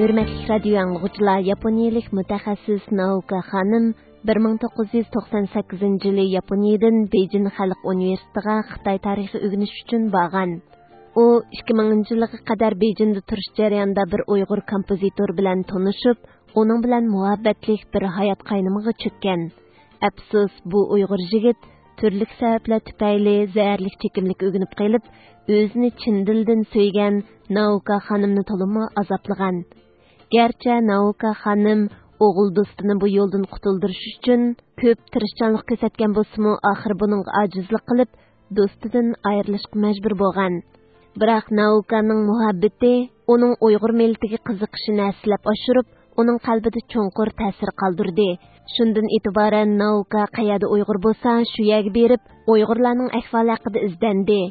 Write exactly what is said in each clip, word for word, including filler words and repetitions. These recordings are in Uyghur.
ھۆرمەتلىك رادىيو ئاڭلىغۇچىلار، ياپونىيەلىك مۇتەخەسسىس نائوكا خانىم بىر مىڭ توققۇز يۈز توقسان سەككىزىنچى يىلى ياپونىيەدىن بېيجىن خەلق ئۇنىۋېرسىتېتىغا خىتاي تارىخى ئۆگىنىش ئۈچۈن بارغان. ئۇ ئىككى مىڭىنچى يىلىغا قەدەر بېيجىندا تۇرۇش جەريانىدا بىر ئۇيغۇر كومپوزىتور بىلەن تونۇشۇپ، ئۇنىڭ بىلەن مۇھەببەتلىك بىر ھايات قاينىمىغا چۆككەن. ئەپسۇس، بۇ ئۇيغۇر يىگىت تۈرلۈك سەۋەبلەر تۈپەيلى زەھەرلىك چېكىملىككە ئۆگىنىپ قېلىپ، ئۆزىنى چىن دىلدىن سۆيگەن نائوكا خانىمنى تولىمۇ ئازابلىغان. گەرچە نائوكا خانىم ئوغۇل دوستىنى بۇ يولدىن قۇتۇلدۇرۇش ئۈچۈن كۆپ تىرىشچانلىق كۆرسەتكەن بولسىمۇ، ئاخىرى بۇنىڭغا ئاجىزلىق قىلىپ، دوستىدىن ئايرىلىشقا مەجبۇر بولغان. بىراق نائوكانىڭ مۇھەببىتى ئۇنىڭ ئۇيغۇر مىللىتىگە قىزىقىشىنى ھەسسىلەپ ئاشۇرۇپ، ئۇنىڭ قەلبىدە چوڭقۇر تەسىر قالدۇردى. شۇندىن ئېتىبارەن نائوكا قەيەردە ئۇيغۇر بولسا، شۇ يەرگە بېرىپ، ئۇيغۇرلارنىڭ ئەھۋالى ھەققىدە ئىزدەندى.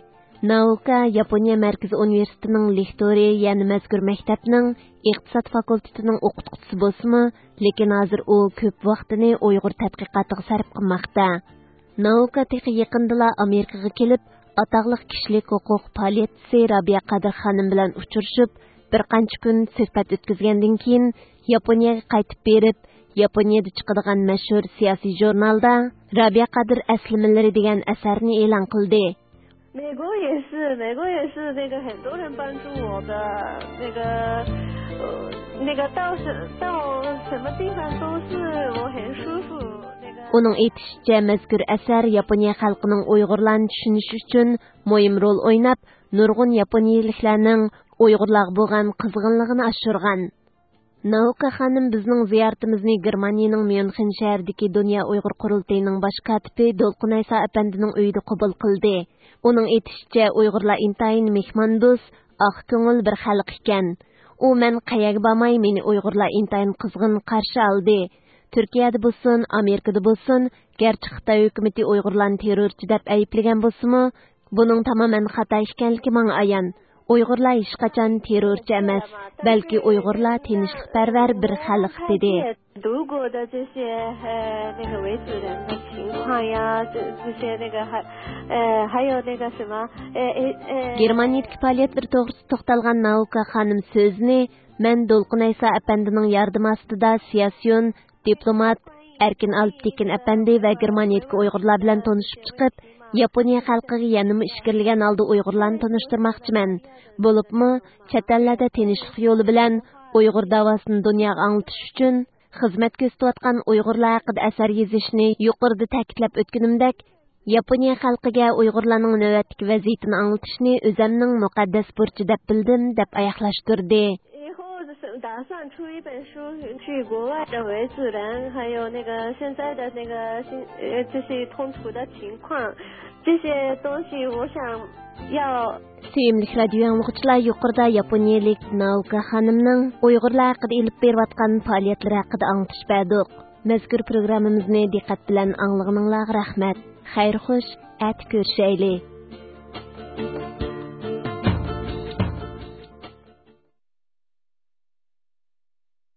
نائوكا ياپونىيە مەركىزىي ئۇنىۋېرسىتېتىنىڭ لېكتورى، يەنە مەزكۇر مەكتەپنىڭ ئىقتىساد فاكۇلتېتىنىڭ ئوقۇتقۇچىسى بولسىمۇ، لېكىن ھازىر ئۇ كۆپ ۋاقتىنى ئۇيغۇر تەتقىقاتىغا سەرپ قىلماقتا. نائوكا تېخى يېقىندىلا ئامېرىكىغا كېلىپ، ئاتاقلىق كىشىلىك ھوقۇق پائالىيەتچىسى رابىيە قادىر خانىم بىلەن ئۇچرىشىپ، بىر قانچە كۈن سۆھبەت ئۆتكۈزگەندىن كېيىن، ياپونىيەگە قايتىپ بېرىپ، ياپونىيەدە چىقىدىغان مەشھۇر سىياسىي ژۇرنالدا رابىيە قادىر ئەسلىمىلىرى دېگەن ئەسەرنى ئېلان قىلدى. 美国也是，美国也是那个很多人帮助我的，那个呃那个到什到什么地方都是我很舒服。那个 ئۇنىڭ ئېيتىشىچە، مەزكۇر ئەسەر ياپونىيە خەلقىنىڭ ئۇيغۇرلارنى چۈشىنىشى ئۈچۈن مۇھىم رول ئويناپ، نۇرغۇن ياپونىيىلىكلەرنىڭ ئۇيغۇرلارغا بولغان قىزغىنلىقىنى ئاشۇرغان. نائوكا خانىم بىزنىڭ زىيارىتىمىزنى گېرمانىيىنىڭ ميۇنخېن شەھىرىدىكى دۇنيا ئۇيغۇر قۇرۇلتىيىنىڭ باش كاتىپى دولقۇن ئەيسا ئەپەندىنىڭ ئۆيىدە قوبۇل قىلدى. ئۇنىڭ ئېيتىشىچە، ئۇيغۇرلار ئىنتايىن مېھماندوست، ئاق كۆڭۈل بىر خەلق ئىكەن. ئۇ مەن قەيەرگە بارماي، مېنى ئۇيغۇرلار ئىنتايىن قىزغىن قارشى ئالدى. تۈركىيەدە بولسۇن، ئامېرىكىدا بولسۇن، گەرچە خىتاي ھۆكۈمىتى ئۇيغۇرلارنى تېررورچى دەپ ئەيىبلىگەن بولسىمۇ، بۇنىڭ تامامەن خاتا ئىكەنلىكى ماڭا ئايان. ئۇيغۇرلار ھېچقاچان تېررورچى ئەمەس، بەلكى ئۇيغۇرلار تىنچلىقپەرۋەر بىر خەلق، دېدى. 德国的这些呃那个维族人的情况呀，这这些那个还呃还有那个什么呃呃呃。 گېرمانىيىدىكى پائالىيەتلىرى توغرىسىدا توختالغان نائوكا خانىم سۆزىنى مەن دولقۇن ئەيسا ئەپەندىنىڭ ياردىمى ئاستىدا سىياسىيون، دىپلومات ئەركىن ئالپتېكىن ئەپەندى ۋە گېرمانىيىدىكى ئۇيغۇرلار بىلەن تونۇشۇپ چىقىپ، ياپونىيە خەلقىگە يەنىمۇ ئىچكىرىلىگەن ھالدا ئۇيغۇرلارنى تونۇشتۇرماقچىمەن. بولۇپمۇ، چەت ئەللەردە تىنچلىق يولى بىلەن ئۇيغۇر داۋاسىنى دۇنياغا ئاڭلىتىش ئۈچۈن خىزمەت كۆرسىتىۋاتقان ئۇيغۇرلار ھەققىدە ئەسەر يېزىشنى يۇقىرىدا تەكىتلەپ ئۆتكىنىمدەك، ياپونىيە خەلقىگە ئۇيغۇرلارنىڭ نۆۋەتتىكى ۋەزىيىتىنى ئاڭلىتىشنى ئۆزەمنىڭ مۇقەددەس بۇرچى دەپ بىلدىم، دەپ ئاياغلاشتۇردى. 以后是打算出一本书，去国外的维族人，还有那个现在的那个新呃这些冲突的情况，这些东西我想要 سۆيۈملۈك رادىيو ئاڭلىغۇچىلار، يۇقىرىدا ياپونىيەلىك نائوكا خانىمنىڭ ئۇيغۇرلار ھەققىدە ئېلىپ بېرىۋاتقان پائالىيەتلىرى ھەققىدە ئاڭلىتىش بەردۇق. مەزكۇر پروگراممىمىزنى دىققەت بىلەن ئاڭلىغىنىڭلارغا رەھمەت. خەير خوش، ئەتە كۆرۈشەيلى.